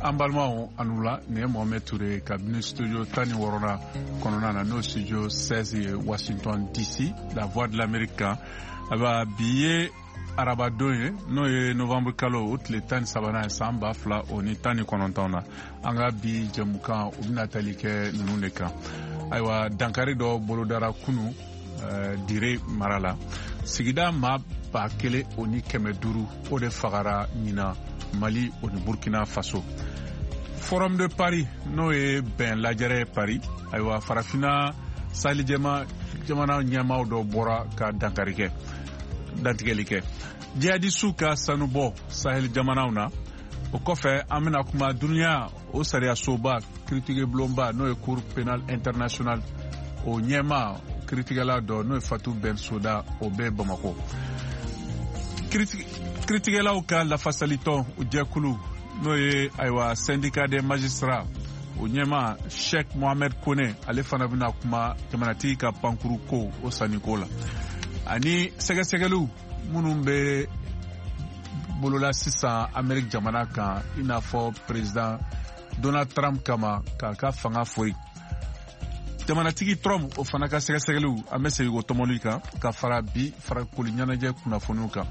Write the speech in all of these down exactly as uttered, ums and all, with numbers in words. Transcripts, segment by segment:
An balimaw, aw ni wula. Nin ye Mohamed Touré kabini studio tan ni wɔɔrɔnan kɔnɔna na, n'o studio seize ye, Washington D C, La Voix de l'Amérique kan. Ayiwa, bi ye arabadon ye, n'o ye novembre kalo o tile tan ni sabanan ye, san ba fila o ni tan ni kɔnɔntɔn na. An ka bi jɛmukan, o bɛna tali kɛ ninnu de kan. Ayiwa, dankari dɔ bolodara kunu uh, Dire mara la. Sigida maa ba kelen o ni kɛmɛ duuru, o de fagara ɲina Mali o ni Burkina Faso. Forum de Paris, n'o ye bɛn lajɛrɛ ye Paris, ayiwa, Farafina Salijɛma jamana ɲɛmaaw dɔ bɔra ka dankari kɛ, dantigɛli kɛ jihadisiw ka sanubɔ Sahel jamanaw na. O kɔfɛ, an bɛna kuma duniya o sariyasoba kiritigɛbulonba, n'o ye Cour pénale internationale, o ɲɛma kiritigɛla dɔ, n'o ye Fatou Bensouda, o bɛ Bamako. Kiritigɛlaw ka lafasalitɔn jɛkulu, n'o ye ayiwa Syndicat des magistrats, o ɲɛma Sheikh Mohamed Kone, ale fana bɛna kuma jamanatigi ka pankuru ko o sanniko la, ani sɛgɛsɛgɛliw minnu bɛ bolola sisan Ameriki jamana kan, i n'a fɔ président Donald Trump kama k'a ka fanga fori. Jamanatigi Trump, o fana ka sɛgɛsɛgɛliw, an bɛ segin o tɔmɔli kan, ka fara bi farikolo ɲɛnajɛ kunnafoniw kan.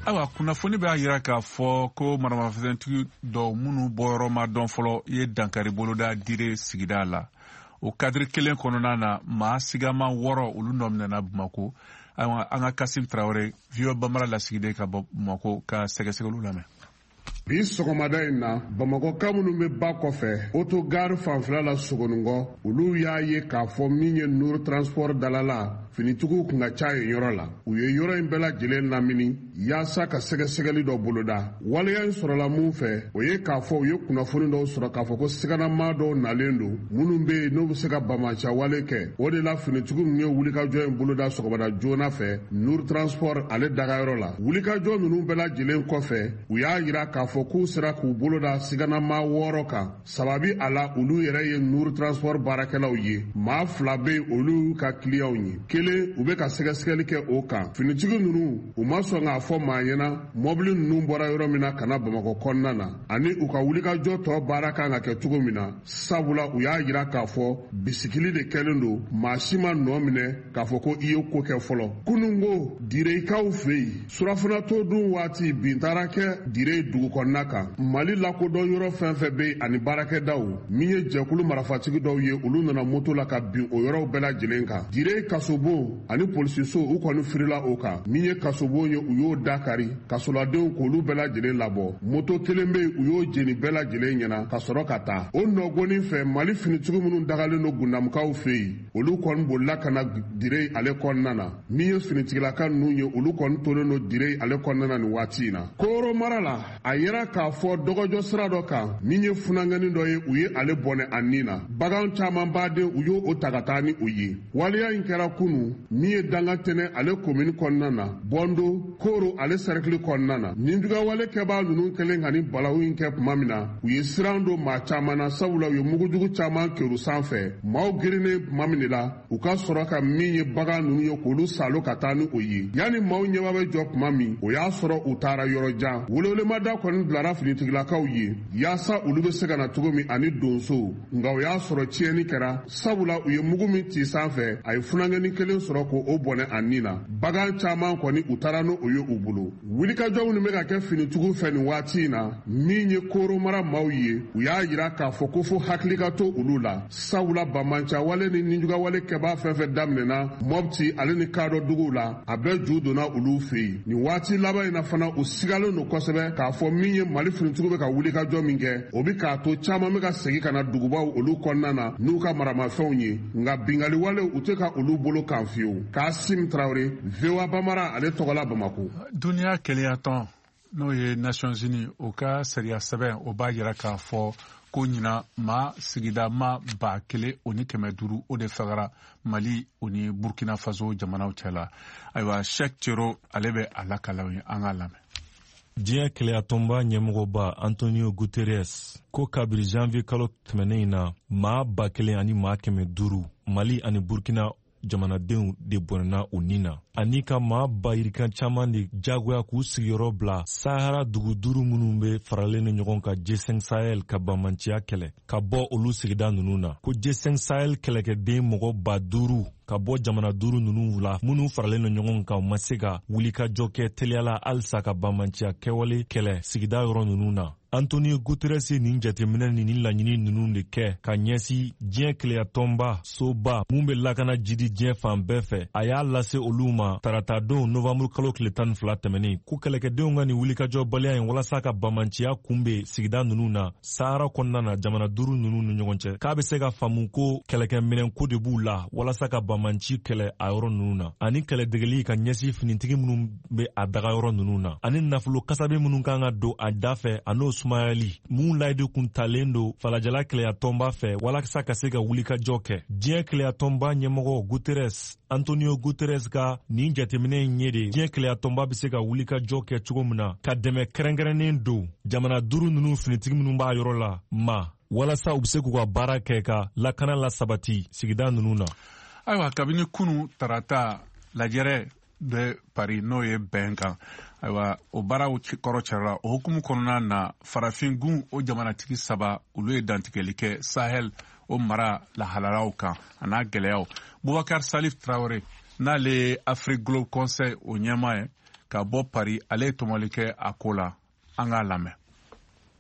Ayiwa, kunnafoni b'a yira k'a fɔ ko maramafɛntigi dɔw minnu bɔyɔrɔ ma dɔn fɔlɔ ye dankari boloda Dire sigida la. O kadiri kelen kɔnɔna na, maa sigama wɔɔrɔ, olu nɔ minɛna Bamako. Ayiwa, an ka Kasim Tarawele, V O A Bambara lasigiden ka bɔ Bamako, ka sɛgɛsɛgɛliw lamɛn. Bi sɔgɔmada in na, Bamakɔka minnu bɛ ba kɔfɛ, autogare fanfɛla la Sogoninkɔ, olu y'a ye k'a fɔ min ye Nour Transport dalala, finitigiw kun ka ca yen yɔrɔ la. U ye yɔrɔ in bɛɛ lajɛlen lamini yaasa ka sɛgɛsɛgɛli dɔ boloda. Waleya in sɔrɔla mun fɛ? O ye k'a fɔ u ye kunnafoni dɔw sɔrɔ k'a fɔ ko siganamaa dɔw nalen don, minnu bɛ yen n'u bɛ se ka bamaca wale kɛ. O de la, finitigiw ninnu ye wulikajɔ in boloda sɔgɔmada joona fɛ Nour Transport ale dagayɔrɔ la. Wulikajɔ ninnu bɛɛ lajɛlen kɔfɛ, u y'a yira k'a fɔ k'u sera k'u bolo da siganamaa wɔɔrɔ kan. Sababi a la, olu yɛrɛ ye Nour Transport baarakɛlaw ye. Maa fila bɛ yen, olu y'u ka kiliyanw ye. Kelen, u bɛ ka sɛgɛsɛgɛli kɛ o kan. Finitigi ninnu, u ma sɔn k'a fɔ maa ɲɛna mɔbili ninnu bɔra yɔrɔ min na ka na Bamakɔ kɔnɔna na, ani u ka wulikajɔ tɔ baara kan ka kɛ cogo min na, sabula u y'a yira k'a fɔ bisikili de kɛlen don, maa si ma nɔ minɛ k'a fɔ ko i ye ko kɛ fɔlɔ. Kununko, Direkaw fɛ yen, surafana to dun waati, bin taara kɛ Dire dugu kɔnɔna kan. Mali lakodɔn yɔrɔ fɛn fɛn bɛ yen ani baarakɛdaw, min ye jɛkulu marifatigi dɔw ye, olu nana moto la ka bin o yɔrɔw bɛɛ lajɛlen kan. Dire kasobon ani polisiso, u kɔni firila o kan. Min ye kasobon ye, u y'o dakari, kasoladenw k'olu bɛɛ lajɛlen labɔ. Moto kelen bɛ yen, u y'o jeni bɛɛ lajɛlen ɲɛna ka sɔrɔ ka taa o nɔgɔnin fɛ. Mali finitigiw minnu dagalen don Gundamukaw fɛ yen, olu kɔni bolila ka na Dire ale kɔnɔna na. Min ye finitigilaka ninnu ye, olu kɔni tolen don Dire ale kɔnɔna na nin waati in na. Koro mara la, a yera k'a fɔ dɔgɔjɔ sira dɔ kan, min ye funankɛnin dɔ ye, u ye ale bɔnɛ a nin na. Bagan caman baden, u y'o o ta ka taa ni o ye. Waleya in kɛra kunu, min ye Danga Tɛnɛ ale komini kɔnɔna na, Bɔndo Koro ale sɛrɛkili kɔnɔna na. Ninjugawale kɛbaa ninnu kɛlen ka ni balawu in kɛ tuma min na, u ye siran don maa caman na, sabula u ye mugujugu caman keru sanfɛ. Maaw girinnen tuma min de la, u ka sɔrɔ ka min ye bagan ninnu ye, k'olu salo ka taa ni o ye. Yanni maaw ɲɛba bɛ jɔ tuma min, o y'a sɔrɔ u taara yɔrɔ jan. Welewelemada kɔni bilara finitigilakaw ye yaasa olu bɛ se ka na cogo min ani donso, nka o y'a sɔrɔ tiɲɛni kɛra, sabula u ye mugu min ci sanfɛ, a ye funankɛnin kelen sɔrɔ k'o bɔnɛ a nin na. Bagan caman kɔni, u taara n'o ye u bolo. Wulikajɔw min bɛ ka kɛ finitigiw fɛ nin waati in na, min ye Koro mara maaw ye, u y'a yira k'a fɔ ko fo hakili ka to olu la, sabula banbancawale ni nijugawale kɛbaa fɛn fɛn daminɛna Mɔpti ale ni Kadɔ duguw la, a bɛɛ ju donna olu fɛ yen nin waati laban in na. Fana, u sigalen don kosɛbɛ k'a fɔ min ye Mali finitigiw bɛ ka wulikajɔ min kɛ, o bɛ k'a to caman bɛ ka segin ka na dugubaw olu kɔnɔna na n'u ka maramafɛnw ye, nka bingaliwalew, u tɛ ka olu bolo kan fiyewu. Kasim Tarawele, V O A Bamara ale tɔgɔla, Bamako. Duniya kelenyatɔn, n'o ye Nations Unies, o ka sariya sɛbɛn, o b'a yira k'a fɔ ko ɲina maa sigida ma ba kelen o ni kɛmɛ duuru, o de fagara Mali o ni Burkina Faso jamanaw cɛ la. Ayiwa, Shek Cero, ale bɛ a lakalaw ye, an k'a lamɛn. Diɲɛ kelenyatɔnba ɲɛmɔgɔba Antonio Guterres ko kabiri janvier kalo tɛmɛnen in na, maa ba kelen ani maa kɛmɛ duuru, Mali ani Burkina jamanadenw de bɔnɛna u ni na, ani ka maa bayirikan caman de jagoya k'u sigiyɔrɔ bila Sahara dugu duuru minnu bɛ faralen ni ɲɔgɔn kan G cinq Sahel ka banbaanciya kɛlɛ, ka bɔ olu sigida ninnu na. Ko G cinq Sahel kɛlɛkɛden mɔgɔ ba duuru ka bɔ jamana duuru ninnu la minnu faralen no ɲɔgɔn kan, u ma se ka wulikajɔ kɛ teliya la halisa ka banbaanciya kɛwale kɛlɛ sigida yɔrɔ ninnu na. Antonio Guterres ye nin jateminɛ ni nin laɲini ninnu de kɛ ka ɲɛsin diɲɛ keleyatɔnba soba mun bɛ lakana jidi diɲɛ fan bɛɛ fɛ. A y'a lase olu ma taratadon novanburu kalo tile tan ni fila tɛmɛnen, ko kɛlɛkɛdenw ka nin wulikajɔbaliya in walasa ka banbaanciya kunbɛn sigida ninnu na Sahara kɔnɔna na, jamana duuru ninnu ni ɲɔgɔn cɛ, k'a bɛ se ka faamu ko kɛlɛkɛminɛnko de b'u la walasa ka banbaanci kɛlɛ a yɔrɔ ninnu na, ani kɛlɛdegeli ka ɲɛsin finitigi minnu bɛ a daga yɔrɔ ninnu na, ani nafolo kasabi minnu kan ka don a da fɛ, a n'o sumayali mun layidu kun talen don falajɛla kɛlɛyatɔnba fɛ walasa ka se ka wulikajɔ kɛ. Diɲɛ kɛlɛyatɔnba ɲɛmɔgɔ Guterres, Antonio Guterres, ka nin jateminɛ in ye de diɲɛ kɛlɛyatɔnba bɛ se ka wulikajɔ kɛ cogo min na ka dɛmɛ kɛrɛnkɛrɛnnen don jamana duuru ninnu finitigi minnu b'a yɔrɔ la ma, walasa u bɛ se k'u ka baara kɛ ka lakana la sabati sigida ninnu na. Ayiwa, kabini kunu tarata, lajɛrɛ bɛ Paris, n'o ye bɛn kan. Ayiwa, o baaraw kɔrɔ cɛla, o hukumu kɔnɔna na, farafingun o jamanatigi saba, olu ye dantigɛli kɛ Sahel o mara lahalalaw kan a n'a gɛlɛyaw. Bubakar Salif Traore, n'ale ye Afrique Globe Conseil o ɲɛmaa ye ka bɔ Paris, ale ye tɔmɔli kɛ a ko la. An k'a lamɛn.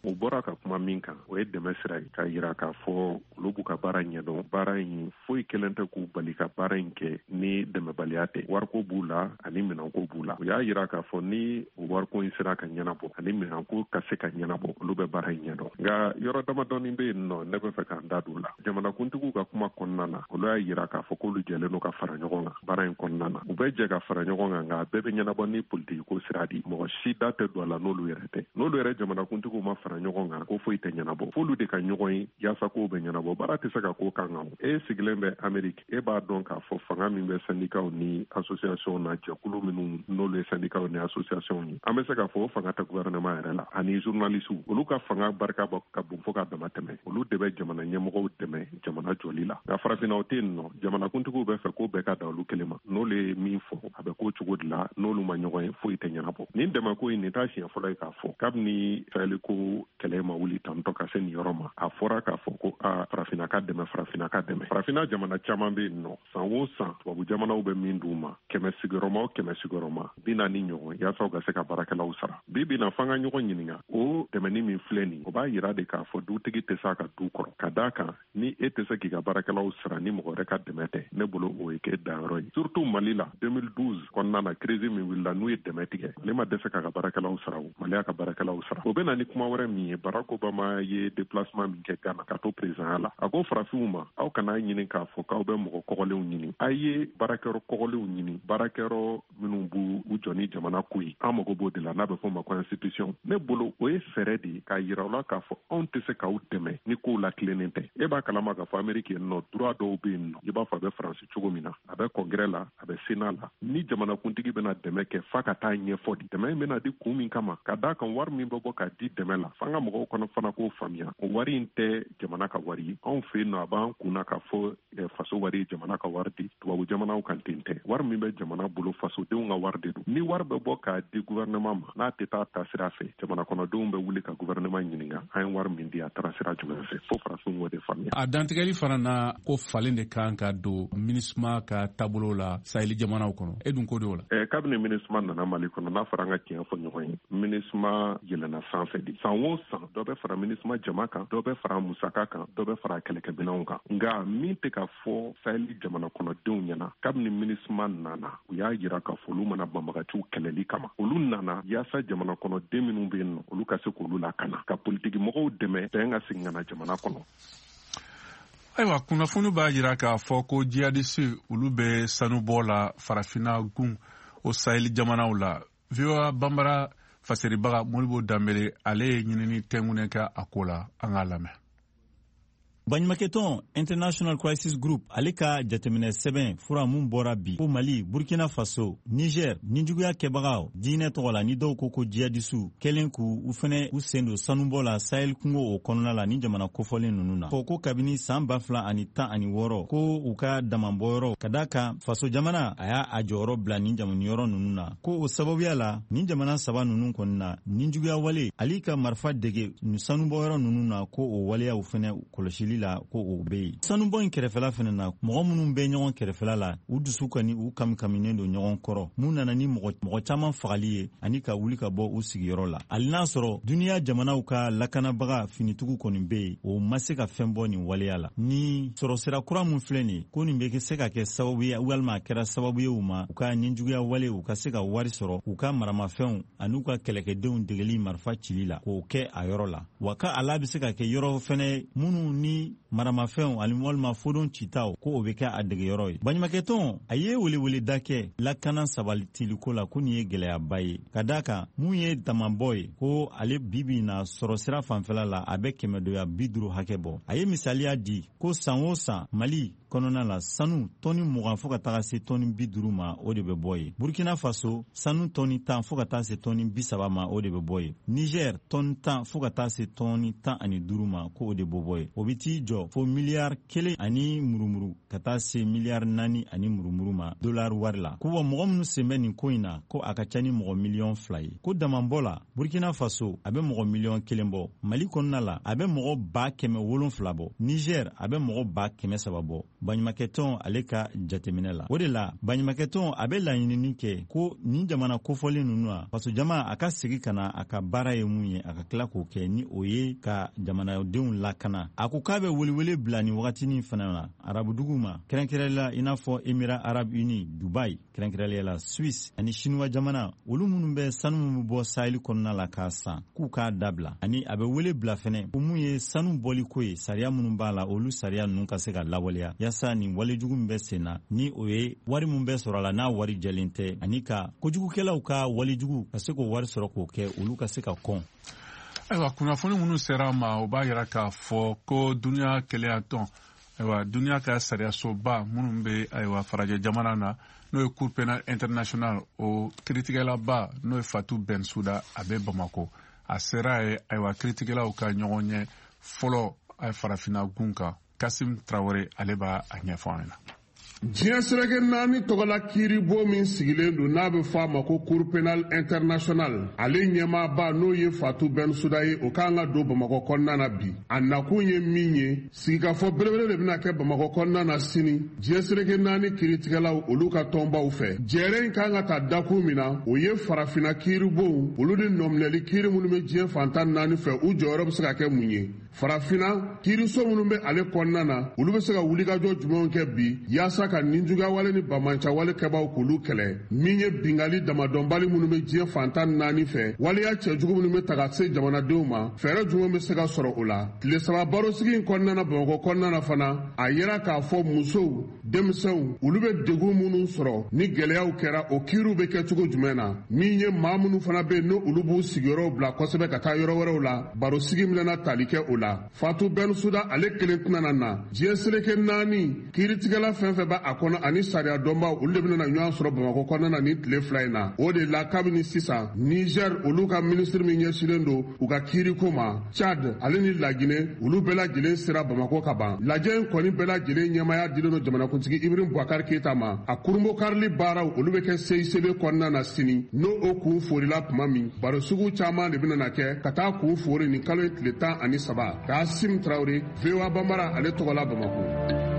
U bɔra ka kuma min kan, o ye dɛmɛ sira ye, k'a yira k'a fɔ olu b'u ka baara ɲɛdɔn. Baara in foyi kelen tɛ k'u bali ka baara in kɛ ni dɛmɛbaliya tɛ. Wariko b'u la ani minɛnko b'u la. U y'a yira k'a fɔ ni o wariko in sera ka ɲɛnabɔ ani minɛnko ka se ka ɲɛnabɔ, olu bɛ baara in ɲɛdɔn. Nka yɔrɔ damadɔni bɛ yen nɔ, ne bɛ fɛ k'an da don o la. Jamanakuntigiw ka kuma kɔnɔna na, olu y'a yira k'a fɔ k'olu jɛlen don ka fara ɲɔgɔn kan baara in kɔnɔna na. U bɛ jɛ ka fara ɲɔgɔn kan, nka a bɛɛ bɛ ɲɛnabɔ ni politiki ko sira di. Mɔgɔ si da tɛ don a la n'olu yɛrɛ tɛ. N'olu yɛrɛ jamanakuntigiw ma fara ɲɔgɔn kan, ko foyi tɛ ɲɛnabɔ. F'olu de ka ɲɔgɔn ye yaasa kow bɛ ɲɛnabɔ. Baara tɛ se ka ko kan kan. E sigilen bɛ Ameriki, e b'a dɔn k'a fɔ fanga min bɛ syndicats ni association na, jɛkulu minnu n'olu ye syndicats ni association ye, an bɛ se k'a fɔ o fanga tɛ gouvernement yɛrɛ la. Ani journalistes, olu ka fanga barika ka bon fo k'a dama tɛmɛ. Olu de bɛ jamana ɲɛmɔgɔw dɛmɛ jamana jɔli la. Nka farafinna, o tɛ yen nɔ. Jamanakuntigiw bɛ fɛ ko bɛɛ ka da olu kelen ma. N'olu ye min fɔ, a bɛ k'o cogo de la. N'olu ma ɲɔgɔn ye, foyi tɛ ɲɛnabɔ. Nin dɛmɛko in, nin t'a siɲɛ fɔlɔ ye k'a fɔ. Kabini Sahel ko kɛlɛ ma wuli tantɔ ka se nin yɔrɔ ma, a fɔra k'a fɔ ko a farafinna ka dɛmɛ, farafinna ka dɛmɛ. Farafinna jamana caman bɛ yen nɔ, san o san tubabu jamanaw bɛ min d'u ma, kɛmɛ sigiyɔrɔma o kɛmɛ sigiyɔrɔma bi naani ɲɔgɔn, yaasa u ka se ka baarakɛlaw sara. Bi bi na, f'an ka ɲɔgɔn ɲininka, o dɛmɛni min filɛ nin, o b'a yira de k'a fɔ dutigi tɛ se a ka du kɔrɔ. Ka d'a kan, ni e tɛ se k'i ka baarakɛlaw sara ni mɔgɔ wɛrɛ ka dɛmɛ tɛ, ne bolo o ye k'e danyɔrɔ ye. Surtout Mali la, deux mille douze kɔnɔna na, crise min wulila, n'u ye dɛmɛ tigɛ, ale ma dɛsɛ k'a ka baarakɛlaw sara. O Mali y'a ka baarakɛlaw sara. O bɛ na ni kuma wɛrɛ min ye, Barack Obama ye déplacement min kɛ Ghana ka to président la, a ko farafinw ma: aw kana ɲini k'a fɔ k'aw bɛ mɔgɔ kɔgɔlenw ɲini, a ye baarakɛyɔrɔ kɔgɔlenw ɲini, baarakɛyɔrɔ minnu b'u u jɔ ni jamana ko ye. An mago b'o de la, n'a bɛ fɔ o ma ko institution. Ne bolo, o ye fɛɛrɛ de ye k'a yira u la k'a fɔ anw tɛ se k'aw dɛmɛ ni kow la tilennen tɛ. E b'a kalama k'a fɔ Ameriki yen nɔ, droit dɔw bɛ yen nɔ, i b'a fɔ a bɛ Faransi cogo min na, a bɛ congrès la, a bɛ sénat la. Ni jamanakuntigi bɛna dɛmɛ kɛ, f'a ka taa ɲɛfɔ di dɛmɛ in bɛna di kun min kama. Ka d'a kan, wari min bɛ bɔ k'a di dɛmɛ la, f'an ka mɔgɔw kɔnɔ fana k'o faamuya, o wari in tɛ jamana ka wari ye. Anw fɛ yen nɔ, a b'an kunna k'a fɔ faso wari ye jamana ka wari di. Tubabu jamanaw kan, ten tɛ. Wari min bɛ jamana bolo, fasodenw ka wari de don. Ni wari bɛ bɔ k'a di gouvernement ma, n'a tɛ taa taasira fɛ, jamana kɔnɔdenw bɛ wuli ka gouvernement ɲininka: an ye wari min di, a taara sira jumɛn fɛ? Fo farafinw k'o de faamuya. A dantigɛli fana na, ko falen de kan ka don MINUSMA ka taabolo la Saheli jamanaw kɔnɔ. E dun ko de o la? eh, kabini MINUSMA nana Mali kɔnɔ, n'a fɔra an ka tiɲɛ fɔ ɲɔgɔn ye, MINUSMA yɛlɛnna sanfɛ de. San o san, dɔ bɛ fara MINUSMA jama kan, dɔ bɛ fara musaka kan, dɔ bɛ fara kɛlɛkɛminɛnw kan. Nka min tɛ ka fɔ Saheli jamana kɔnɔdenw ɲɛna, kabini MINUSMA nana, u y'a yira k'a fɔ olu mana banbagaciw kɛlɛli kama. Olu nana yaasa jamana kɔnɔden minnu bɛ yen nɔ, olu ka se k'olu lakana, ka politiki mɔgɔw dɛmɛ bɛn ka segin ka na jamana kɔnɔ. Ayiwa, kunnafoni b'a jira k'a fɔ ko jihadisi, olu bɛ sanubɔ la farafinna gun o Saheli jamanaw la. V O A Banbara faseribaga Modibo Danbele, ale ye ɲinini tɛnkunɛ kɛ a ko la. An k'a lamɛn. Baɲumankɛtɔn International Crisis Group ale ka jateminɛ sɛbɛn fura mun bɔra bi ko Mali, Burkina Faso, Niger nijuguya kɛbagaw diinɛ tɔgɔ la ni dɔw ko ko jihadisiw kɛlen k'u u fɛnɛ u sen don sanubɔ la Sahel kungo o kɔnɔna la ni jamana kofɔlen ninnu na. Fɔ ko kabini san ba fila ani tan ani wɔɔrɔ ko u ka damabɔyɔrɔ ka da kan faso jamana a y'a a jɔyɔrɔ bila nin jamanayɔrɔ ninnu na, ko o sababuya la nin jamana saba ninnu kɔni na nijuguya wale ali ka marifa dege nin sanubɔyɔrɔ ninnu na, ko o waleyaw fɛnɛ kɔlɔsili la ko o bɛ yen. Sanubɔ in kɛrɛfɛla fɛnɛ na, mɔgɔ minnu bɛ ɲɔgɔn kɛrɛfɛla la u dusu kani u kamikaminen don ɲɔgɔn kɔrɔ, mun nana ni mɔgɔ mɔgɔ caman fagali ye ani ka wuli ka bɔ u sigiyɔrɔ la. Hali n'a sɔrɔ duniya jamanaw ka lakanabaga finitigiw kɔni bɛ yen, o ma se ka fɛn bɔ nin waleya la. Ni sɔrɔsira kura mun filɛ nin ye, ko nin bɛ se ka kɛ sababu ye walima a kɛra sababu ye u ma u ka nijuguya wale u ka se ka wari sɔrɔ u ka maramafɛnw ani u ka kɛlɛkɛdenw degeli marifa cili la k'o kɛ a yɔrɔ la. Wa ka ala bɛ se ka kɛ yɔrɔ fɛnɛ minnu ni maramafɛnw ani walima fodon citaw ko o bɛ kɛ a degeyɔrɔ ye. Baɲumankɛtɔn a ye weleweleda kɛ lakana sabatiliko la ko nin ye gɛlɛyaba ye, ka d'a kan mun ye damabɔ ye ko ale bibi na sɔrɔsira fanfɛla la a bɛ kɛmɛdoya bi duuru hakɛ bɔ. A ye misaliya di ko san o san Mali kɔnɔna la sanu tɔni mugan fo ka taga se tɔni bi duuru ma o de bɛ bɔ yen. Burkina Faso sanu tɔni tan fo ka taa se tɔni bi saba ma o de bɛ bɔ yen. Niger tɔni tan fo ka taa se tɔni tan ani duuru ma ko o de bɛ bɔ yen. O bɛ t'i jɔ fo miliyari kelen ani murumuru ka taa se miliyari naani ani murumuru ma dolari wari la. Ko wa mɔgɔ minnu sen bɛ nin ko in na ko a ka ca ni mɔgɔ miliyɔn fila ye. Ko damabɔ la Burkina Faso a bɛ mɔgɔ miliyɔn kelen bɔ. Mali kɔnɔna la a bɛ mɔgɔ ba kɛmɛ wolonfila bɔ. Niger a bɛ mɔgɔ ba kɛmɛ saba bɔ. Baɲumankɛtɔn ale ka jateminɛ la, o de la baɲumankɛtɔn a bɛ laɲinini kɛ ko nin jamana kofɔlen ninnu na fasojama a ka segin ka na a ka baara ye mun ye a ka tila k'o kɛ, ni o ye ka jamanadenw lakana. A ko k'a bɛ welewele bila nin wagatinin fana na arabudugu ma, kɛrɛnkɛrɛnnenya la i n'a fɔ Émirats Arabes Unis, Dubai, kɛrɛnkɛrɛnnenya la Suisse ani Chinois jamana, olu minnu bɛ sanu min bɛ bɔ Sahel kɔnɔna la k'a san k'u k'a dabila. Ani a bɛ wele bila fɛnɛ ko mun ye sanu bɔliko ye, sariya minnu b'a la olu sariya ninnu ka se ka lawaleya yaasa nin walejugu min bɛ sen na ni o ye wari min bɛ sɔrɔ a la n'a wari jɛlen tɛ, ani ka kojugukɛlaw ka walejugu ka se k'o wari sɔrɔ k'o kɛ olu ka se ka kɔn. Ayiwa, kunnafoni minnu sera an ma o b'a yira k'a fɔ ko duniya kelenyatɔn, ayiwa duniya ka sariyasoba minnu bɛ ayiwa farajɛ jamana na n'o ye Cour pénale internationale, o kiiritigɛlaba n'o ye Fatou Bensouda a bɛ Bamako. A sera ye ayiwa kiiritigɛlaw ka ɲɔgɔn ɲɛ fɔlɔ farafinna gun kan. Kasim Traoré ale b'a a ɲɛfɔ an ɲɛna. Diɲɛ seleke naani tɔgɔla kiiribo min sigilen don n'a bɛ fɔ a ma ko Cour pénale internationale, ale ɲɛmaaba n'o ye Fatou Bensouda ye, o kan ka don Bamakɔ kɔnɔna na bi. A nakun ye min ye, sigikafɔ belebele de bɛna kɛ Bamakɔ kɔnɔna na sini diɲɛ seleke naani kiiritigɛlaw olu ka tɔnbaw fɛ. Jɛrɛ in kan ka ta dakun min na, o ye farafinna kiiribow olu ni nɔminɛli kiiri minnu bɛ diɲɛ fantan naani fɛ, u jɔyɔrɔ bɛ se ka kɛ mun ye. Farafinna kiiriso minnu bɛ ale kɔnɔna na, olu bɛ se ka wulikajɔ jumɛnw kɛ bi yaasa ka ninjuguyawale ni bamancawale kɛbaw k'olu kɛlɛ. Min ye bingali damadɔnbali minnu bɛ diɲɛ fantan naani fɛ, waleya cɛjugu minnu bɛ ta ka se jamanadenw ma, fɛɛrɛ jumɛn bɛ se ka sɔrɔ o la. Tile saba barosigi in kɔnɔna na Bamakɔ kɔnɔna na fana, a yira k'a fɔ musow, denmisɛnw olu bɛ degun minnu sɔrɔ ni gɛlɛyaw kɛra, o kiiriw bɛ kɛ cogo jumɛn na. Min ye maa minnu fana bɛ yen n'olu b'u sigiyɔrɔw bila kosɛbɛ ka taa yɔrɔ wɛrɛw la, barosigi minɛna tali kɛ o la. Fatou Bensouda ale kelen tɛna na na diɲɛ seleke naani kiiritigɛla fɛn fɛn b'a a kɔnɔ ani sariya dɔnbaw olu de bɛna ɲɔgɔn sɔrɔ Bamakɔ kɔnɔna na nin tile fila in na. O de la kabini sisan Niger olu ka minisiri min ɲɛsinnen don u ka kiiriko ma, Tchad ale ni Laginɛ olu bɛɛ lajɛlen sera Bamakɔ ka ban. Lajɛ in kɔni bɛɛ lajɛlen ɲɛmaaya dilen don jamanakuntigi Ibrahim Boubacar Keita ma. A kurunbokarili baaraw olu bɛ kɛ C I C B kɔnɔna na sini, n'o o kun forila tuma min, baro sugu caman de bɛna kɛ ka taa kun fori nin kalo in tile tan ani saba. Kasim Traoré, V O A Bambara ale tɔgɔ la Bamakɔ.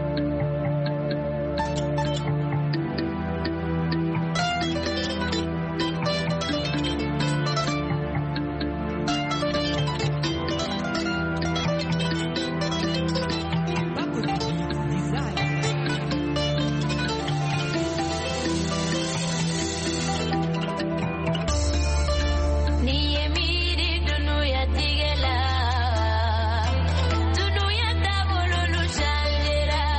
Dunuya taabolo changera.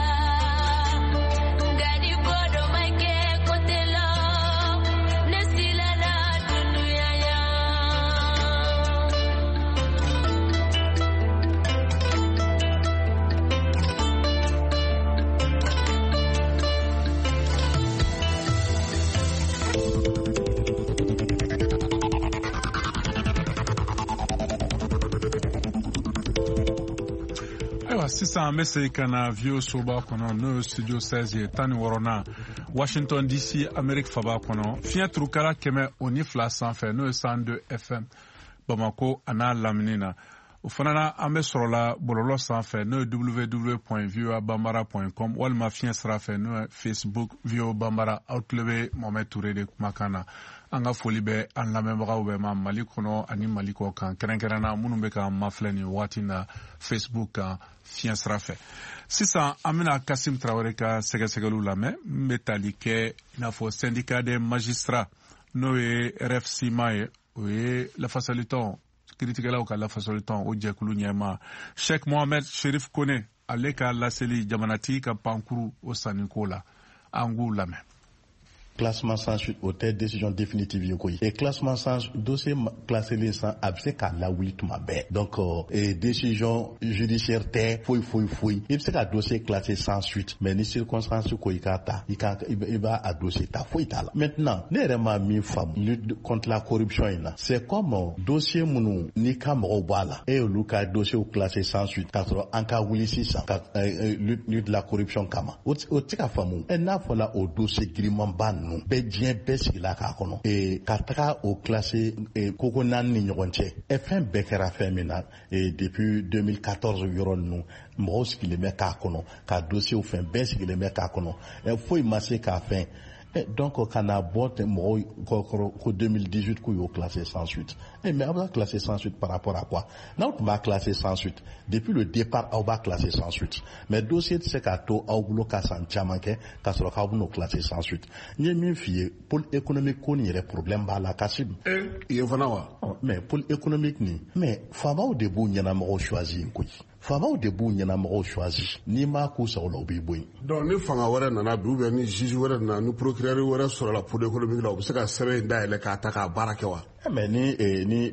Sisan an bɛ segin ka na V O soba kɔnɔ, n'o ye studio seize ye, tan ni wɔɔrɔnan, Washington D C, Amérique faba kɔnɔ. Fiɲɛ turukala kɛmɛ o ni fila sanfɛ, n'o ye cent deux F M Bamako a n'a lamini na. O fana na, an bɛ sɔrɔla bɔlɔlɔ sanfɛ, n'o ye w w w point voa bambara point com, walima fiɲɛ sira fɛ, n'o ye Facebook V O A Bambara. Aw tulo bɛ Mohamed Touré de kumakan na. An ka foli bɛ an lamɛnbagaw bɛɛ ma Mali kɔnɔ ani Mali kɔ kan, kɛrɛnkɛrɛnna minnu bɛ k'an mafilɛ nin waati na Facebook kan fiɲɛ sira fɛ. Sisan an bɛna Kasim Traoré ka sɛgɛsɛgɛliw lamɛn min bɛ tali kɛ i n'a fɔ syndicat des magistrats, n'o ye R F C M A ye, o ye lafasalitɔn, kiiritigɛlaw ka lafasalitɔn, o jɛkulu ɲɛmaa Sheikh Mohamed Sherif Kone, ale ka laseli jamanatigi ka pankuru o sanniko la. An k'u lamɛn. Classement sans suite o tɛ décision définitive ye koyi. Et classement sans dossier classé sans a bɛ se k'a lawuli tuma bɛɛ. Donc euh, décision judiciaire tɛ foyi foyi foyi. I bɛ se ka dossier classé sans suite, mais ni circonstance ko i k'a ta, i ka i b'a a dossier ta, foyi t'a la. Maintenant ne yɛrɛ ma min faamu lutte contre la corruption in na, c'est comme dossier minnu n'i ka mɔgɔw b'a la, e y'olu ka dossier classé sans suite k'a sɔrɔ an ka wuli sisan ka lutte lutte la corruption kama, o tɛ se ka faamu. Ɛ n'a fɔla o dossier girimanba ninnu bɛɛ diɲɛ bɛɛ sigila k'a kɔnɔ, e ka taga o classé koko naani ni ɲɔgɔn cɛ, ɛ fɛn bɛɛ kɛra fɛn min na depuis deux mille quatorze yɔrɔ ninnu, mɔgɔw sigilen bɛ k'a kɔnɔ, ka dossier fɛn bɛɛ sigilen bɛ k'a kɔnɔ, ɛ foyi ma se k'a fɛn. Donc ka na bɔ ten mɔgɔw kɔrɔ ko deux mille dix-huit k'u y'o classé sans suite. Eh mais aw b'a classé sans suite par rapport à quoi? N'aw tun b'a classé sans suite depuis le départ, aw b'a classé sans suite, mais dossier tɛ se k'a to aw bolo ka san caman kɛ k'a sɔrɔ k'aw bɛn'o classé sans suite. N ye min f'i ye, pôle économique ko nin yɛrɛ problème b'a la Kasim. Eh yen fana wa? Mais pôle économique nin, mais faamaw de b'u ɲɛnamɔgɔw choisi yen koyi. Faamaw de b'u ɲɛnamɔgɔw choisi, n'i m'a k'u sago la, u b'i bɔ yen. Donc ni fanga wɛrɛ nana bi, ou bien ni juge wɛrɛ nana, ni procureur wɛrɛ sɔrɔla pôle économique la, u bɛ se ka sɛbɛn in dayɛlɛ k'a ta k'a baara kɛ wa? Mais ni ni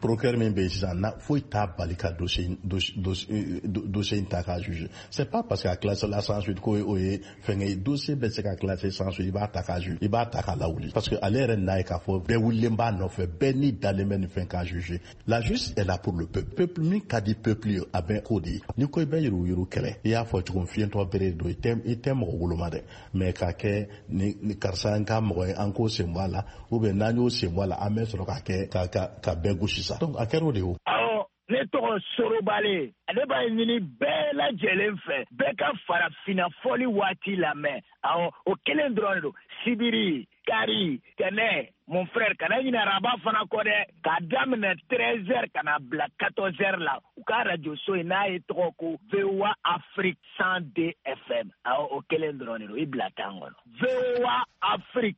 procureur min bɛ yen sisan, na foyi t'a bali ka dossier dossier in ta k'a juger. C'est pas parce que a classé la sans suite ko o ye fɛnkɛ ye. Dossier bɛ se ka classé sans suite, i b'a ta k'a juger, i b'a ta k'a lawuli, parce que ale yɛrɛ n'a ye k'a fɔ bɛɛ wulilen b'a nɔfɛ, bɛɛ ni dalen bɛ nin fɛn k'a juger. La justice est là pour le peuple. Peuple min ka di peuple ye, a bɛ k'o de ye. Ni ko i bɛ yuruguyurugu kɛlɛ, i y'a fɔ cogo min, fiyentɔ bere don, i tɛ i tɛ mɔgɔ woloma dɛ, mais k'a kɛ ni karisa n ka mɔgɔ ye, an k'o sen bɔ a la, ou bien n'an y'o sen bɔ a la, an bɛ sɔrɔ k'a kɛ ka ka ka bɛɛ gosi sa. Donc a kɛra o de ye o. Awɔ, ne tɔgɔ Sorobale, ale b'a ɲini bɛɛ lajɛlen fɛ, bɛɛ ka farafinna fɔli waati lamɛn. Awɔ, o kelen dɔrɔn de don. Sibiri, kari, tɛnɛ, mon frère, kana ɲinɛ araba fana kɔ dɛ, k'a daminɛ treize heures ka na bila quatorze heures la, u ka radio so in n'a ye tɔgɔ ko V O A Afrique cent deux F M. Awɔ, o kelen dɔrɔn de don, i bila tan kɔnɔ. V O A Afrique.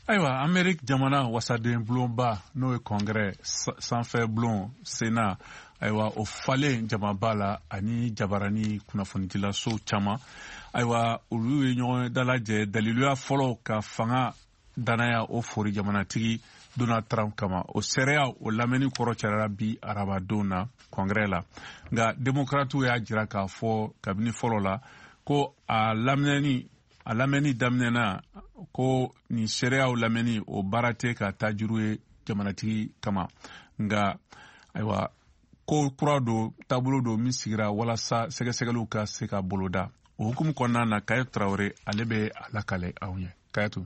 Ayiwa, Amérique jamana wasaden bulonba, n'o ye congrès sanfɛ bulon Sénat, ayiwa o falen jamaba la ani jabarani kunnafonidilaso caman, ayiwa olu ye ɲɔgɔn dalajɛ daliluya fɔlɔ ka fanga danaya o fori jamanatigi Donald Trump kama. O seereya o lamɛnni kɔrɔ cayara bi arabadon na congrès la, nka démocrates y'a jira k'a fɔ kabini fɔlɔ la ko a lamɛnni a lamɛnni daminɛna ko nin seereyaw lamɛnni o baara tɛ ka taa juru ye jamanatigi kama, nka ayiwa ko kura don, taabolo don min sigira walasa sɛgɛsɛgɛliw ka se ka boloda. O hukumu kɔnɔna na, Kayatu Traoré ale bɛ a lakale anw ye. Kayatu.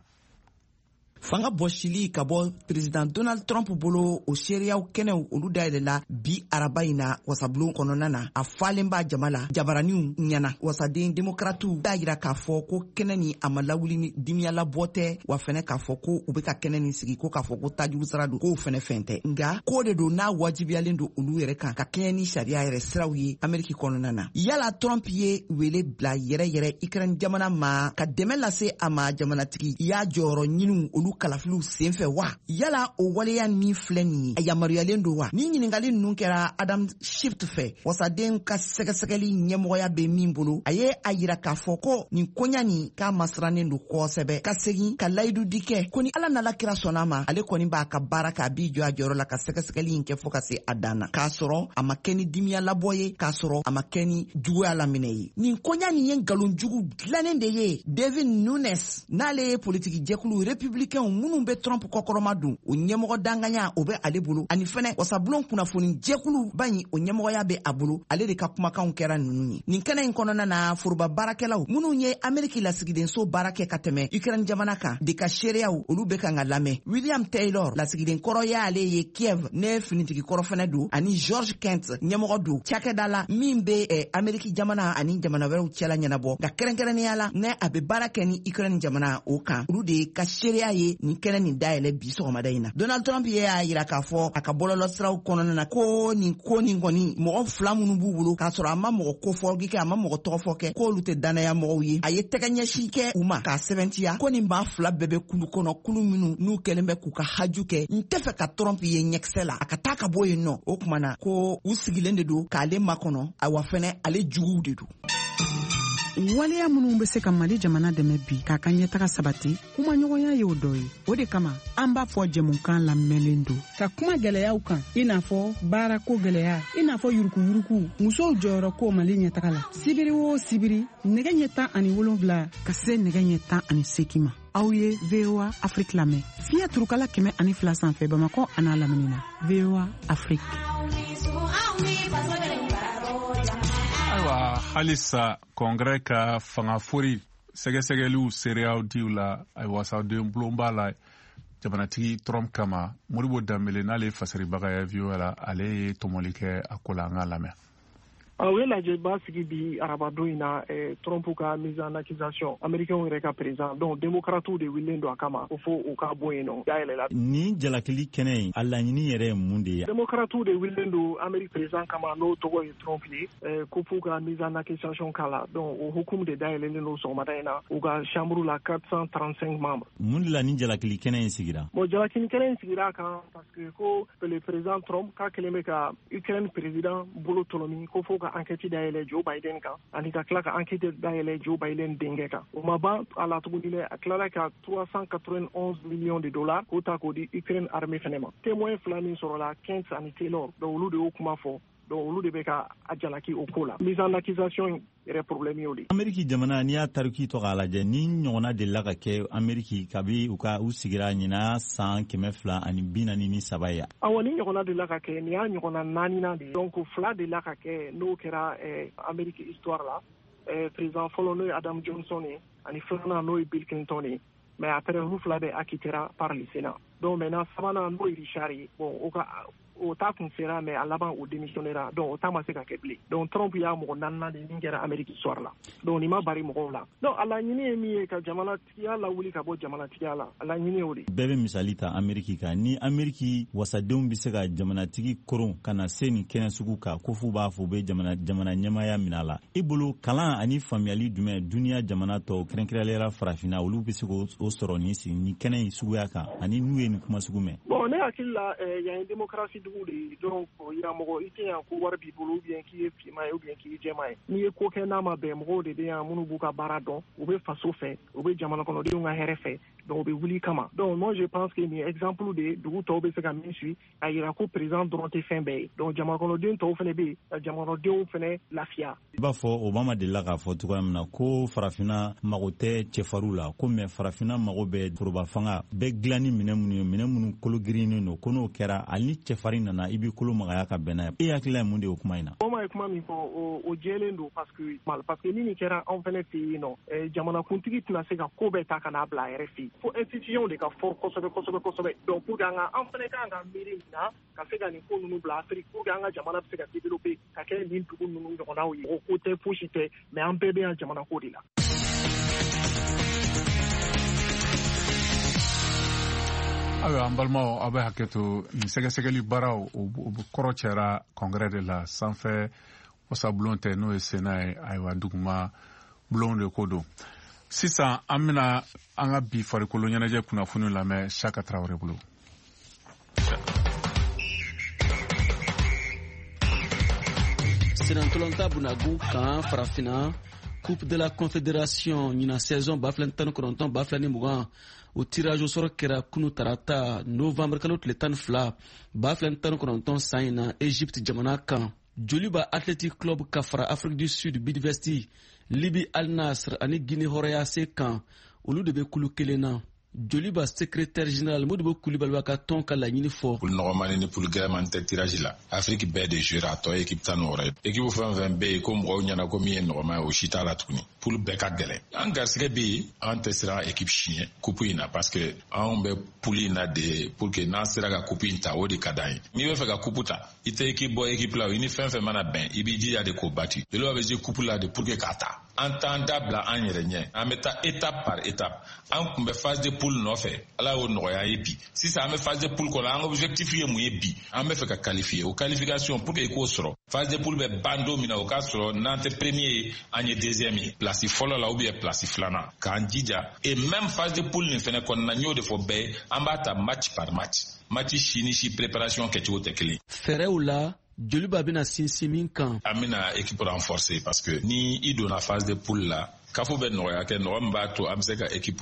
Fanga bɔsili ka bɔ président Donald Trump bolo, o seereyaw kɛnɛw olu dayɛlɛla bi araba in na wasabulon kɔnɔna na. A falen b'a jama la, jabaraniw ɲɛna. Wasaden demokratiw y'a yira k'a fɔ ko kɛnɛ ni a ma lawuli ni dimiyalabɔ tɛ, wa fɛnɛ k'a fɔ ko u bɛ ka kɛnɛ nin sigi ko k'a fɔ ko tajuru sira don, k'o fɛnɛ fɛn tɛ, nka ko de don n'a wajibiyalen don olu yɛrɛ kan ka kɛɲɛ ni sariya yɛrɛ siraw ye Ameriki kɔnɔna na. Yala Trump ye wele bila yɛrɛ yɛrɛ Ukraine jamana ma ka dɛmɛ lase a ma jamanatigi y'a jɔyɔrɔ ɲiniw olu kalafiliw senfɛ wa? Yala o waleya min filɛ nin ye, a yamaruyalen don wa? Ni ɲininkali ninnu kɛra Adam Schiff fɛ, wasaden ka sɛgɛsɛgɛli ɲɛmɔgɔya bɛ min bolo, a ye a yira k'a fɔ ko nin koɲa nin k'a masirannen don kosɛbɛ, ka segin ka layidu di kɛ ko ni Ala n'Ala kira sɔnna ma, ale kɔni b'a ka baara k'a b'i jɔ a jɔyɔrɔ la ka sɛgɛsɛgɛli in kɛ fo ka se a dan na, k'a sɔrɔ a ma kɛ ni dimiya labɔ ye, k'a sɔrɔ a ma kɛ ni juguya laminɛ ye. Nin koɲa nin ye nkalon jugu dilannen de ye. David Nunes, n'ale ye politiki jɛkulu républicain Republicainw minnu bɛ Trump kɔkɔrɔma don, o ɲɛmɔgɔ danganya o bɛ ale bolo, ani fɛnɛ wasabulon kunnafoni jɛkuluba in o ɲɛmɔgɔya bɛ a bolo. Ale de ka kumakanw kɛra ninnu ye. Nin kɛnɛ in kɔnɔna na, foroba baarakɛlaw minnu ye Ameriki lasigidenso baara kɛ ka tɛmɛ Ukraine jamana kan de ka seereyaw, olu bɛ kan ka lamɛn. William Taylor, lasigiden kɔrɔ y'ale ye Kiev, ne finitigi kɔrɔ fɛnɛ don, ani George Kent, ɲɛmɔgɔ don cakɛda la min bɛ eh, Ameriki jamana ani jamana wɛrɛw cɛla ɲɛnabɔ, nka kɛrɛnkɛrɛnnenya la ne a bɛ baara kɛ ni Ukraine jamana o kan. Olu de ka seereya ye nin kɛnɛ nin dayɛlɛ bi sɔgɔmada in na. Donald Trump ye y'a yira k'a fɔ a ka bɔlɔlɔsiraw kɔnɔna na ko nin ko nin kɔni mɔgɔ fila minnu b'u bolo, k'a sɔrɔ a ma mɔgɔ kofɔ kɛ, a ma mɔgɔ tɔgɔfɔ kɛ, k'olu tɛ danaya mɔgɔw ye. A ye tɛgɛ ɲɛsin kɛ u ma k'a sɛbɛntiya ko nin maa fila bɛɛ bɛ kulu kɔnɔ, kulu minnu n'u kɛlen bɛ k'u ka haju kɛ n tɛ fɛ ka Trump ye ɲɛkisɛ la, a ka taa ka bɔ yen nɔ. O tuma na ko u sigilen de don k'ale makɔnɔ, awa fɛnɛ ale juguw de don. Waleya minnu bɛ se ka Mali jamana dɛmɛ bi k'a ka ɲɛtaga sabati, kumaɲɔgɔnya y'o dɔ ye. O de kama an b'a fɔ jɛmukan lamɛnlen don ka kuma gɛlɛyaw kan, i n'a fɔ baarako gɛlɛya, i n'a fɔ yurukuyuruku, musow jɔyɔrɔ ko Mali ɲɛtaga la. Sibiri o sibiri, nɛgɛ ɲɛ tan ani wolonwula ka se nɛgɛ ɲɛ tan ani seegin ma, aw ye V O A Afrique lamɛn fiɲɛ turukala kɛmɛ ani fila sanfɛ Bamakɔ an'a lamini na. V O A Afrique. Ayiwa, halisa Congrès ka fangafori sɛgɛsɛgɛliw seereyaw diw la, ayiwa wasaden bulonba la jamanatigi Trump kama. Modibo Danbele n'ale ye fasiribaga ye V O A la, ale ye tɔmɔli kɛ a ko la, an k'a lamɛn. U ye lajɛba sigi bi arabadon in na, Trump ka mise en accusation, américain yɛrɛ ka président, donc démocrates de wulilen don a kama ko fo u ka bɔ yen nɔ dayɛlɛ la. Nin jalakili kɛnɛ in, a laɲini yɛrɛ ye mun de ye? Démocrates de wulilen don Amérique président kama, n'o tɔgɔ ye Trump ye, ko f'u ka mise en accusation k'a la. Donc o hukumu de dayɛlɛlen don sɔgɔmada in na u ka chambre la, quatre cent trente-cinq membres. Mun de la nin jalakili kɛnɛ in sigira? Bon, jalakili kɛnɛ in sigira a kan parce que ko le président Trump k'a kɛlen bɛ ka Ukraine président bolo tɔlɔmi, ko fo ka enquête dayɛlɛ Joe Biden kan, ani ka tila ka enquête dayɛlɛ Joe Biden denkɛ kan. O ma ban a la tuguni dɛ, a tilala ka trois cent quatre-vingt-onze millions de dollars k'o ta k'o di Ukraine armée fɛnɛ ma. Témoin fila min sɔrɔla, Kent ani Taylor, donc olu de y'o kuma fɔ. Donc olu de bɛ ka a jalaki o ko la. Mise en accusation yɛrɛ problème y'o de. Ameriki jamana, n'i y'a tariki tɔ k'a lajɛ, ni ɲɔgɔnna delila ka kɛ Ameriki kabi u ka u sigira ɲina san kɛmɛ fila ani bi naani ni saba ye. Awɔ, ni ɲɔgɔnna delila ka kɛ, nin y'a ɲɔgɔnna naaninan de ye. Donc fila delila ka kɛ, n'o kɛra eh, Ameriki histoire la. Eh, président fɔlɔ n'o ye Adam Johnson ye, ani filanan n'o ye Bill Clinton ye. Mais après olu fila bɛɛ acquittera par le Sénat. Donc maintenant sabanan n'o ye Richard ye, bon o ka o ta kun sera, mais a laban o démissionnera, donc o ta ma se ka kɛ bilen. Donc Trump y'a mɔgɔ naaninan de min kɛra Amérique histoire la. Donc nin ma bari mɔgɔw la. Donc a laɲini ye min ye, ka jamanatigiya lawuli ka bɔ jamanatigiya la, a laɲini y'o de. Bɛɛ bɛ misali ta Amérique kan. Ni Amérique wasadenw bɛ se ka jamanatigi koron ka na se nin kɛnɛ sugu kan, ko f'u b'a fɔ u bɛ jamana jamana ɲɛmaaya minɛ a la, i bolo kalan ani faamuyali jumɛn duniya jamana tɔw, kɛrɛnkɛrɛnnenya la farafinna, olu bɛ se k'o sɔrɔ nin nin kɛnɛ in suguya kan, ani n'u ye nin kuma sugu mɛn? Bon, ne hakili la, yan ye démocratie dugu de ye. Donc o yira mɔgɔ i tɛ yan ko wari b'i bolo, ou bien k'i ye finman ye, ou bien k'i ye jɛman ye. N'i ye ko kɛ n'a ma bɛn, mɔgɔw de bɛ yan minnu b'u ka baara dɔn, u bɛ faso fɛ, u bɛ jamana kɔnɔdenw ka hɛrɛ fɛ, donc u bɛ wuli kama. Donc moi je pense que nin exemple de ye dugu tɔw bɛ se ka min suit, a yira ko président dɔrɔn tɛ fɛn bɛɛ ye. Donc jamana kɔnɔden tɔw fana bɛ yen ka jamana kɔnɔdenw fana lafiya. I b'a fɔ Obama delila k'a fɔ cogoya min na ko farafinna mago tɛ cɛfarinw la, ko mɛ farafinna mago bɛ foroba fanga bɛɛ dilan ni minɛ minnu ye, minɛ minnu kolo girinnen don, ko n'o kɛra hali ni cɛfarin nana i b'i kolo magaya ka bɛn n'a ye. E hakilila ye mun de ye o kuma in na? Obama ye kuma min fɔ, o jɛlen don, parce que parce que ni nin kɛra anw fana fɛ yen nɔ, jamanakuntigi tɛna se ka ko bɛɛ ta ka n'a bila a yɛrɛ fɛ yen. Fo institution de ka fort kosɛbɛ kosɛbɛ kosɛbɛ. Donc pour que an ka an fana kan ka miiri nin na ka se ka nin ko ninnu bila Afrique, pour que an ka jamana bɛ se ka développer ka kɛ nin dugu ninnu ɲɔgɔnnaw ye. O ko tɛ, fosi tɛ, mais an bɛɛ bɛ yan jamana ko de la. Ayiwa, an balimaw, aw bɛ hakɛ to, nin sɛgɛsɛgɛli baaraw o kɔrɔ cɛra Congrès de la, sanfɛ wasabulon tɛ, n'o ye Sénat ye. Ayiwa, duguma bulon de ko don. Sisan an bɛna an ka bi farikolo ɲɛnajɛ kunnafoniw lamɛn Saka Tarawele bolo. Senatɔlɔnta bunagun kan farafinna, Coupe de la Confédération ɲinan saison ba fila ni tan ni kɔnɔntɔn ba fila ni mugan, o tirage au sort kɛra kunu tarata novembre kalo tile tan ni fila ba fila ni tan ni kɔnɔntɔn san in na Egypte jamana kan. Joliba Athletic Club ka fara Afrique du Sud Bidvesti, Libye Al Nasr ani Guinée Hɔrɔnya se kan, olu de bɛ kulu kelen na. Joliba secrétaire général Modibo Kulibali b'a ka tɔn ka laɲini fɔ. Poule nɔgɔmani ni poule gɛlɛmani tɛ tirage la. Afrique bɛɛ de jouera, a tɔ ye équipe tan ni wɔɔrɔ ye. Équipe fɛn fɛn bɛ yen ko mɔgɔw ɲɛna ko min ye nɔgɔma ye, o si t'a la tuguni. Poule bɛɛ ka gɛlɛn. An garisɛgɛ bɛ yen, an tɛ siran équipe si ɲɛ coupe in na, parce que anw bɛ poule in na de pour que n'an sera ka coupe in ta, o de ka d'an ye. N'i bɛ fɛ ka coupe ta, i tɛ équipe bɔ équipe la, i ni fɛn fɛn mana bɛn, i b'i jija de k'o battu. Joliba bɛ jouer coupe la de pour que k'a ta. An t'an da bila an yɛrɛ ɲɛ, an bɛ taa étape par étape. An kun bɛ phase de poule nɔfɛ, Ala y'o nɔgɔya ye bi. Sisan an bɛ phase de poule kɔnɔ, an ka objectif ye mun ye bi? An bɛ fɛ ka qualifier. O qualification, pour que i k'o sɔrɔ, phase de poule bɛ ban don min na, o k'a sɔrɔ n'an tɛ premier ye, an ye deuxième ye, place fɔlɔ la ou bien place filanan, k'an jija. Et même phase de poule nin fɛnɛ kɔnɔna, n y'o de fɔ bɛɛ ye, an b'a ta match par match. Match si ni si préparation kɛcogo tɛ kelen. Fɛɛrɛw la, Joliba bɛna sinsin min kan. An bɛna équipe renforcer, parce que ni i donna phase de poule la, kafo bɛ nɔgɔya kɛ, nɔgɔ min b'a to an bɛ se ka équipe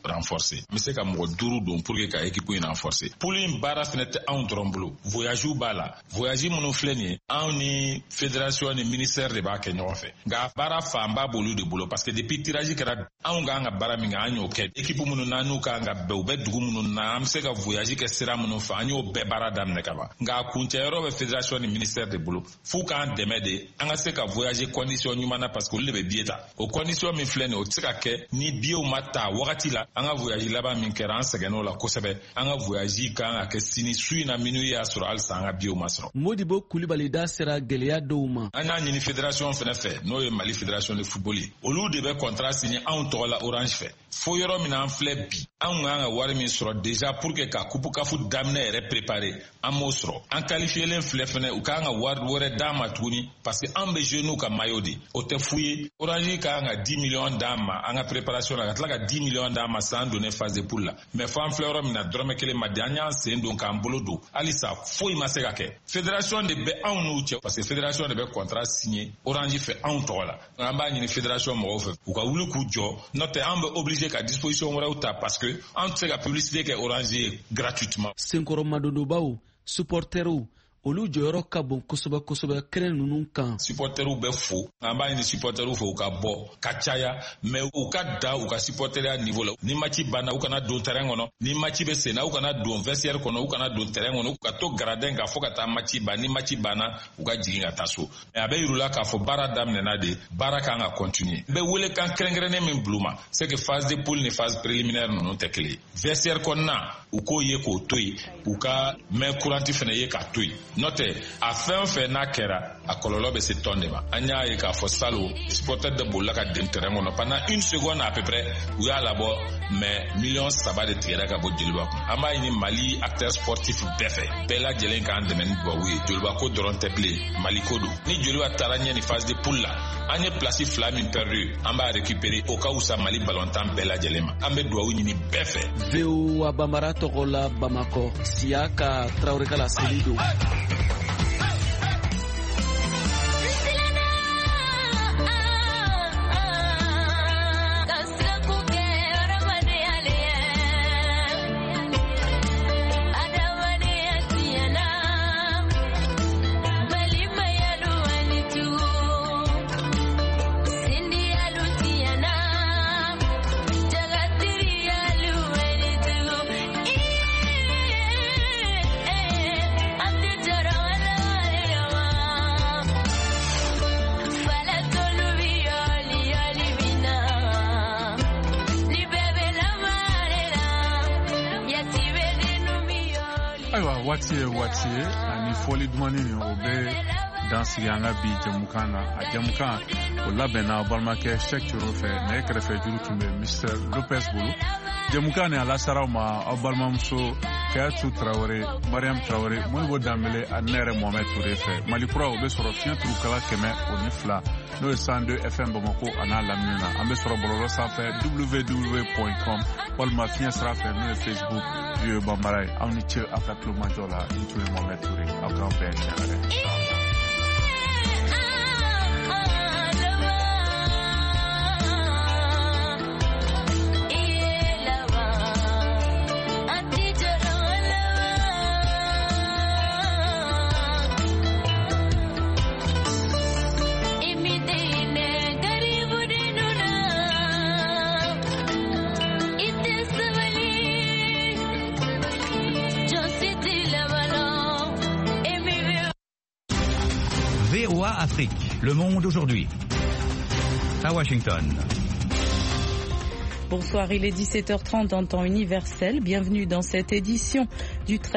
renforcer. An bɛ se ka mɔgɔ duuru don pour que ka équipe in renforcer. Poule in baara fɛnɛ tɛ anw dɔrɔn bolo, voyage b'a la. Voyage minnu filɛ nin ye, anw ni fédération ni ministère de b'a kɛ ɲɔgɔn fɛ, nka baara fanba b'olu de bolo, parce que depuis tirage kɛra, anw k'an ka baara min kɛ, an y'o kɛ. Équipe minnu n'an n'u k'an ka bɛn, u bɛ dugu minnu na, an bɛ se ka voyage kɛ sira minnu fɛ, an y'o bɛɛ baara daminɛ ka ban. Nka a kuncɛyɔrɔ bɛ fédération ni ministère de bolo, f'u k'an dɛmɛ de an ka se ka voyager condition ɲuman na, parce que olu de bɛ billet ta. O condition min filɛ nin ye, o tɛ se ka kɛ ni billetw ma ta wagati la. An ka voyage laban min kɛra, an sɛgɛnn'o la kosɛbɛ. An ka voyage kan ka kɛ sini su in na minuit y'a sɔrɔ, halisa an ka billetw ma sɔrɔ. Modibo Kulibali da sera gɛlɛya dɔw ma. An y'a ɲini fédération fɛnɛ fɛ, n'o ye Mali fédération de football ye, olu de bɛ contrat signé anw tɔgɔ la Orange fɛ. Fo yɔrɔ min na an filɛ bi, anw k'an ka wari min sɔrɔ déjà pour que ka coupe CAF daminɛ yɛrɛ préparer, an m'o sɔrɔ. An qualifiélen filɛ fɛnɛ, u k'an ka wari wɛrɛ d'an ma tuguni, parce que an bɛ jouer n'u ka maillot de, o tɛ fu ye. Orange k'an ka dix millions d'an ma an ka préparation la, ka tila ka dix millions d'an ma san donnen phase de poule la. Mais fo an filɛ yɔrɔ min na, dɔrɔmɛ kelen ma di. An y'an sen don k'an bolo don, halisa foyi ma se ka kɛ. Fédération de bɛ anw n'u cɛ, parce que fédération de bɛ contrat signé Orange fɛ anw tɔgɔ la. An b'a ɲini fédération mɔgɔw fɛ, u ka wuli k'u jɔ, n'o tɛ an bɛ obligé ka disposition wɛrɛw ta, parce que an tɛ se ka publicité kɛ Orange ye gratuitement. Senkɔrɔmadonbaw, supporteriw, olu jɔyɔrɔ ka bon kosɛbɛ kosɛbɛ kɛnɛ ninnu kan. Supporteriw bɛ fo, an b'a ɲini supporteriw fɛ u ka bɔ ka caya, mais u ka da u ka supporteriya niveau la. Ni match banna, u kana don terrain kɔnɔ. Ni match bɛ sen na, u kana don vestiaire kɔnɔ, u kana don terrain kɔnɔ, u ka to gradin kan fo ka taa match ban. Ni match banna, u ka jigin ka taa so. Mais a bɛ yir'u la k'a fɔ baara daminɛna de, baara kan ka continuer. N bɛ welekan kɛrɛnkɛrɛnnen min bila u ma, c'est que phase de poule ni phase préliminaire ninnu tɛ kelen ye. Vestiaire kɔnɔna, u k'o ye k'o to yen, u ka main courante fɛnɛ ye k'a to yen. N'o tɛ, a fɛn o fɛn n'a kɛra, a kɔlɔlɔ bɛ se tɔn de ma. An y'a ye k'a fɔ salon, supporter de bolila ka den terrain kɔnɔ pendant une seconde à peu près, u y'a labɔ, mais miliyɔn saba de tigɛra ka bɔ Joliba kun. An b'a ɲini Mali acteur sportif bɛɛ fɛ, bɛɛ lajɛlen k'an dɛmɛ ni dubabu ye. Joliba ko dɔrɔn tɛ bilen, Mali ko don. Ni Joliba taara ɲɛ ni phase de poule la, an ye place fila min perdu, an b'a récupérer, o ka wusa Mali ballontan bɛɛ lajɛlen ma. An bɛ dubabu ɲini bɛɛ fɛ. V O A Bambara tɔgɔ la Bamakɔ, Siyaka Tarawele ka laseli don. Ayiwa, waati ye waati ye, ani fɔli dumani nin, o bɛ dan sigi an ka bi jɛmukan na. A jɛmukan o labɛnna aw balimakɛ Cheick Coro fɛ, nɛgɛ kɛrɛfɛ juru tun bɛ Mister Lopez bolo. Jɛmukan nin a lasara aw ma aw balimamuso Kayatu Tarawele, Mariam Tarawele, Modibo Danbele ani ne yɛrɛ Mohamed Toure fɛ. Mali kura, o bɛ sɔrɔ fiɲɛ turukala kɛmɛ o ni fila, n'o ye cent deux F M Bamako a n'a lamini na. An bɛ sɔrɔ bɔlɔlɔ sanfɛ w w w point com walima fiɲɛ sira fɛ, n'o ye Facebook V O A Bambara ye. Aw ni ce aw ka tulomajɔ la. Ni tun ye Mohamed Toure, aw k'an bɛn siɲɛ wɛrɛ. It is the V O A Afrique, le monde aujourd'hui. À Washington. Bonsoir, il est dix-sept heures trente en temps universel. Bienvenue dans cette édition du treize